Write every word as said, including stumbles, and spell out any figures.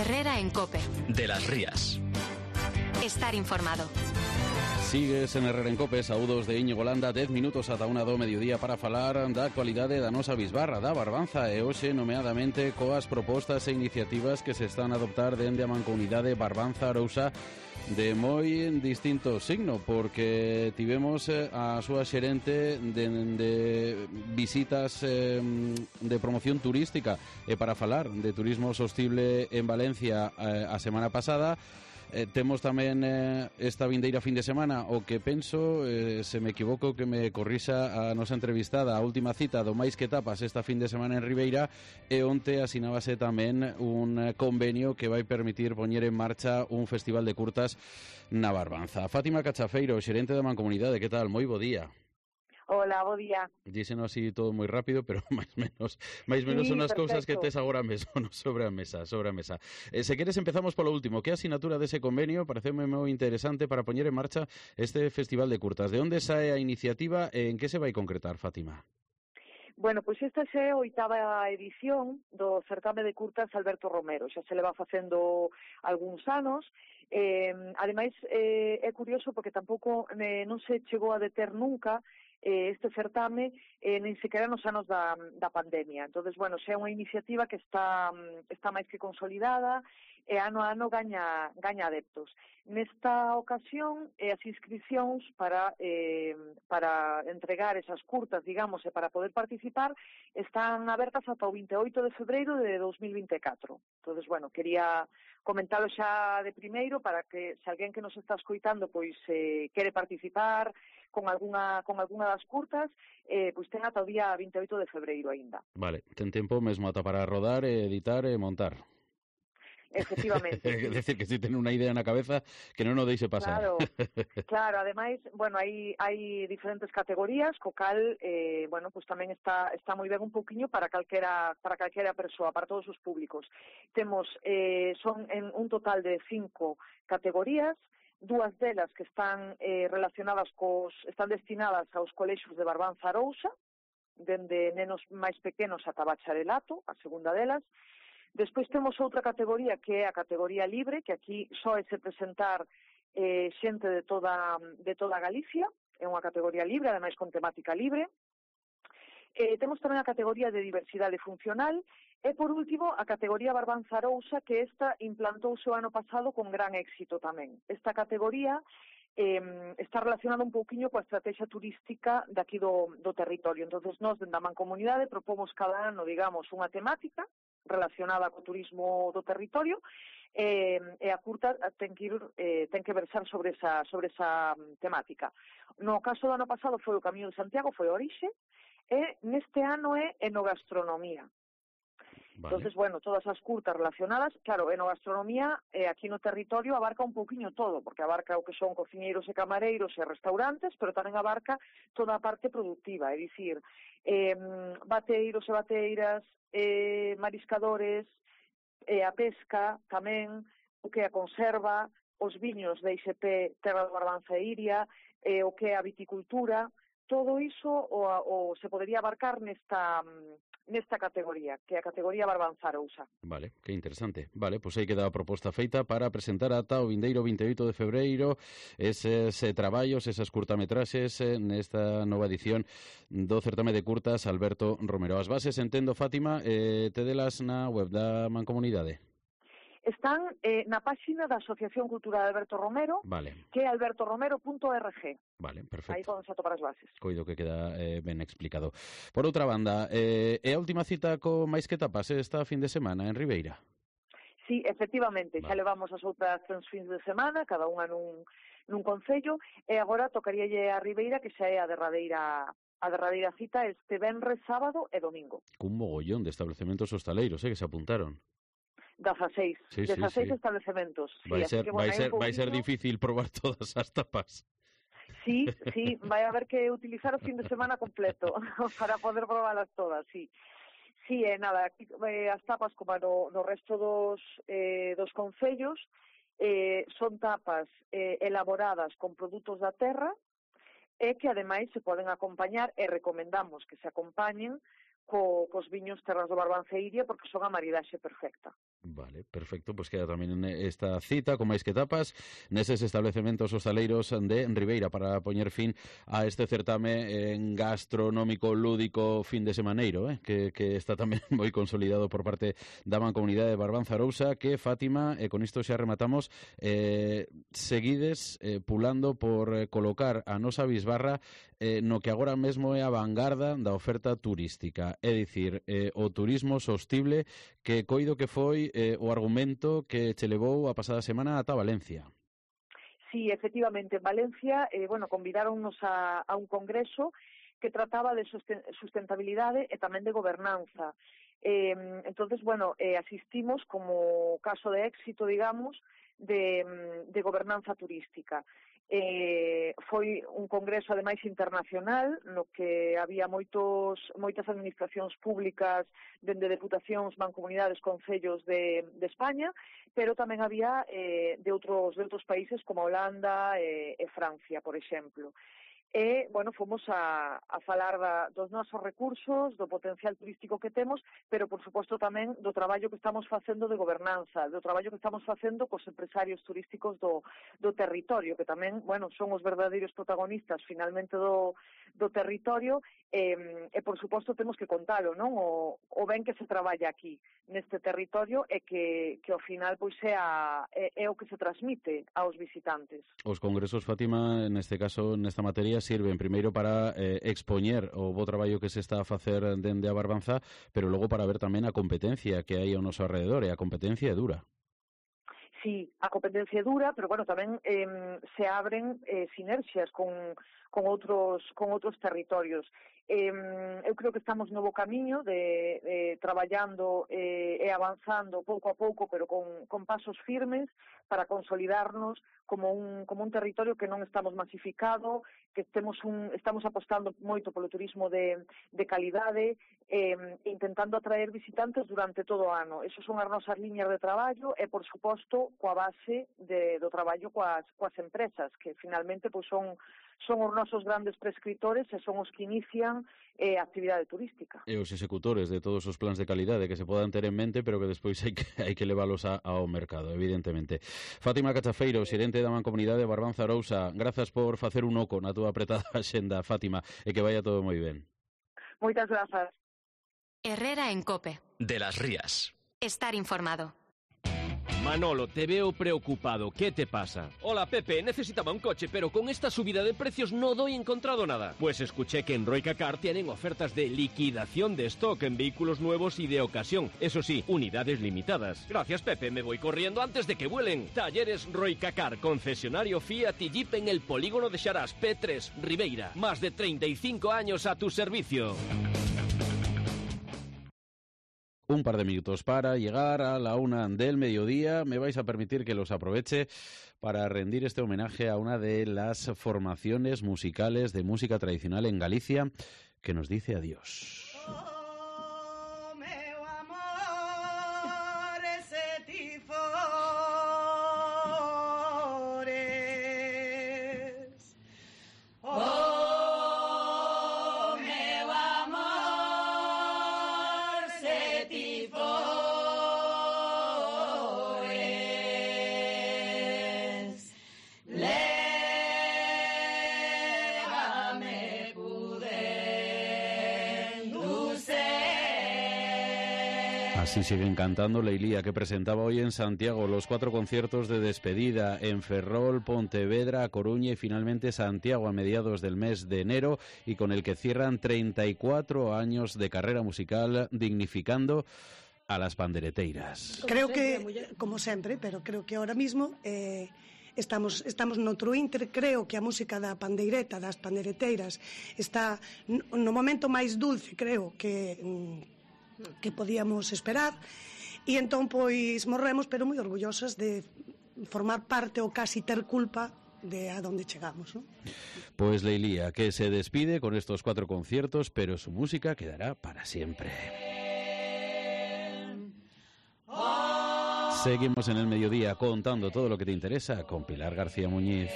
Herrera en COPE. De las Rías. Estar informado. Sigues en Herrera en COPE, saúdos de Íñigo Landa, dez minutos ata unha do mediodía para falar da actualidade da nosa bisbarra, da Barbanza, e hoxe nomeadamente coas propostas e iniciativas que se están a adoptar dende a Mancomunidade Barbanza Arousa de moi distinto signo, porque tivemos a súa xerente de, de visitas eh, de promoción turística e para falar de turismo sostible en Valencia eh, a semana pasada. Eh, temos tamén eh, esta vindeira fin de semana o que penso, eh, se me equivoco que me corrisa a nosa entrevistada, a última cita do Máis que Tapas esta fin de semana en Ribeira, e onte asinábase tamén un convenio que vai permitir poñer en marcha un festival de curtas na Barbanza. Fátima Cachafeiro, xerente da Mancomunidade, que tal? Moi bo día. Hola, bo día. Díseno así todo moi rápido, pero máis menos, máis menos Sí, son as perfecto. cousas que tes agora mesmo no, sobre a mesa, sobre a mesa. Eh, se queres empezamos polo último. Que asinatura dese convenio? Pareceme moi interesante para poñer en marcha este festival de curtas. De onde sae a iniciativa e en que se vai concretar, Fátima? Bueno, pois esta é a oitava edición do certame de curtas Alberto Romero. Xa se leva facendo algúns anos. Eh, ademais, eh, é curioso porque tampouco eh, non se chegou a deter nunca eh, este certame eh, nin sequera nos anos da, da pandemia. Entonces, bueno, xa é unha iniciativa que está, está máis que consolidada e ano a ano gaña, gaña adeptos. Nesta ocasión, eh, as inscripcións para, eh, para entregar esas curtas, digamos, e para poder participar, están abertas ata o vinte e oito de febreiro de dos mil vinte e catro. Entonces, bueno, quería comentalo xa de primeiro para que se alguén que nos está escoitando pois eh, quere participar con algunha con algunha das curtas, eh, pois ten ata o día vinte e oito de febreiro aínda. Vale, ten tempo mesmo ata para rodar, editar e montar. Efectivamente. É decir, que si ten unha idea na cabeza que non o deixe pasar. Claro, claro, ademais, bueno, hai hai diferentes categorías, co cal, eh, bueno, pues tamén está está moi ben un pouquiño para calquera para calquera persoa, para todos os públicos. Temos eh, son en un total de cinco categorías, dúas delas que están eh, relacionadas cos están destinadas aos colexios de Barbanza Arousa, dende nenos máis pequenos ata bacharelato, a segunda delas. Despois temos outra categoría que é a categoría libre, que aquí só é se presentar eh, xente de toda, de toda Galicia, é unha categoría libre, ademais con temática libre. Eh, temos tamén a categoría de diversidade funcional e, por último, a categoría Barbanza Arousa, que esta implantouse o ano pasado con gran éxito tamén. Esta categoría eh, está relacionada un pouquiño coa estrategia turística daqui do, do territorio. Entonces, nós, dende a Mancomunidade, propomos cada ano, digamos, unha temática relacionada co turismo do territorio, eh, e a curta ten que ir, eh, ten que versar sobre esa, sobre esa temática. No caso do ano pasado foi o Camiño de Santiago, foi a orixe, e neste ano é enogastronomía. Vale. Entonces, bueno, todas as curtas relacionadas, claro, enogastronomía eh, aquí no territorio abarca un pouquiño todo, porque abarca o que son cociñeiros e camareiros e restaurantes, pero tamén abarca toda a parte productiva, é dicir, eh, bateiros e bateiras, eh, mariscadores, eh, a pesca tamén, o que é a conserva, os viños de I S P Terra do Barbanza e Iria, eh, o que é a viticultura, todo iso o, o se podería abarcar nesta nesta categoría, que é a categoría Barbanza Arousa. Vale, que interesante. Vale, pois aí queda a proposta feita para presentar ata o vindeiro vinte e oito de febreiro eses eh, traballos, esas curtametraxes eh, nesta nova edición do certame de curtas Alberto Romero. As bases, entendo, Fátima, eh, te delas na web da Mancomunidade? Están eh, na páxina da Asociación Cultural Alberto Romero, vale. que é alberto romero punto org. Vale, perfecto. Aí poden atopar as bases. Coido que queda eh, ben explicado. Por outra banda, eh, é a última cita co Máis que Tapas esta fin de semana en Ribeira? Sí, efectivamente, vale. Xa levamos as outras tres fins de semana, cada unha nun, nun concello, e agora tocaríalle a Ribeira, que xa é a derradeira a derradeira cita este venres, sábado e domingo. Cun mogollón de establecementos hostaleiros, eh, que se apuntaron. dezaseis, sí, dezaseis sí, sí. Establecementos. Vai, sí, ser, que, bueno, vai, ser, poquinho... vai ser difícil probar todas as tapas. Sí, sí, vai haber que utilizar o fin de semana completo para poder probarlas todas, sí. Sí, eh, nada, aquí, eh, as tapas como no, no resto dos, eh, dos concellos eh, son tapas eh, elaboradas con produtos da terra e que ademais se poden acompañar e recomendamos que se acompañen co, cos viños Terras do Barbanza e Iria, porque son a maridaxe perfecta. Vale, perfecto, pois pues queda tamén esta cita con máis que tapas neses establecementos hostaleiros de Ribeira para poñer fin a este certame en gastronómico lúdico fin de semaneiro, eh? que, que está tamén moi consolidado por parte da Mancomunidade de Barbanza Arousa, que Fátima, e con isto xa rematamos, eh, seguides eh, pulando por eh, colocar a nosa bisbarra eh, no que agora mesmo é a vanguarda da oferta turística, é dicir, eh, o turismo sostible, que coido que foi eh, o argumento que che levou a pasada semana ata Valencia. Sí, efectivamente, en Valencia, eh, bueno, convidáronnos a, a un congreso que trataba de sustentabilidade e tamén de gobernanza. Eh, entonces, bueno, eh, asistimos como caso de éxito, digamos, de, de gobernanza turística. Eh, foi un congreso ademais internacional no que había moitos, moitas administracións públicas dende deputacións, mancomunidades, concellos de, de España, pero tamén había eh, de outros de outros países como Holanda e, e Francia, por exemplo. E, bueno, fomos a, a falar da, dos nosos recursos, do potencial turístico que temos, pero, por suposto, tamén do traballo que estamos facendo de gobernanza, do traballo que estamos facendo cos empresarios turísticos do, do territorio, que tamén, bueno, son os verdadeiros protagonistas, finalmente, do, do territorio, e, e, por suposto, temos que contalo, non? O, o ben que se traballa aquí, neste territorio, e que, que ao final, pois, é, a, é, é o que se transmite aos visitantes. Os congresos, Fátima, neste caso, nesta materia, sirven primeiro para eh, expoñer o bo traballo que se está a facer dende a Barbanza, pero logo para ver tamén a competencia que hai ao noso alrededor, e a competencia é dura. Sí, a competencia é dura, pero bueno, tamén eh, se abren eh, sinerxias con, con outros con outros territorios. Eh, eu creo que estamos no bo camiño de, de traballando eh, e avanzando pouco a pouco, pero con, con pasos firmes para consolidarnos como un, como un territorio que non estamos masificado, que temos un, estamos apostando moito polo turismo de, de calidade, eh, intentando atraer visitantes durante todo o ano. Esas son as nosas liñas de traballo e, por suposto, coa base de, do traballo coas, coas empresas, que finalmente pois, son, son os nosos grandes prescriptores e son os que inician eh, a actividade turística. E os executores de todos os plans de calidade que se podan ter en mente, pero que despois hai que, hai que leválos a, ao mercado, evidentemente. Fátima Cachafeiro, xerente da Mancomunidade de Barbanza Arousa, grazas por facer un oco na túa apretada axenda, Fátima, e que vaya todo moi ben. Moitas grazas. Herrera en COPE. De las Rías. Estar informado. Manolo, te veo preocupado. ¿Qué te pasa? Hola, Pepe. Necesitaba un coche, pero con esta subida de precios no doy encontrado nada. Pues escuché que en Royca Car tienen ofertas de liquidación de stock en vehículos nuevos y de ocasión. Eso sí, unidades limitadas. Gracias, Pepe. Me voy corriendo antes de que vuelen. Talleres Royca Car, concesionario Fiat y Jeep en el polígono de Xarás, P tres, Ribeira. Más de treinta y cinco años a tu servicio. Un par de minutos para llegar a la una del mediodía. Me vais a permitir que los aproveche para rendir este homenaje a una de las formaciones musicales de música tradicional en Galicia que nos dice adiós. Así siguen cantando Leilía, que presentaba hoy en Santiago los cuatro conciertos de despedida en Ferrol, Pontevedra, Coruña y finalmente Santiago a mediados del mes de enero, y con el que cierran treinta y cuatro años de carrera musical, dignificando a las pandereteiras. Creo que, como sempre, pero creo que ahora mismo eh, estamos, estamos noutro inter. Creo que a música da pandeireta, das pandereteiras, está no momento máis dulce, creo, que... Mm, que podíamos esperar, e entón pois morremos, pero moi orgullosas de formar parte ou casi ter culpa de a donde chegamos, ¿no? Pues Leilía, que se despide con estos cuatro conciertos, pero su música quedará para siempre. Seguimos en el mediodía contando todo lo que te interesa con Pilar García Muñiz.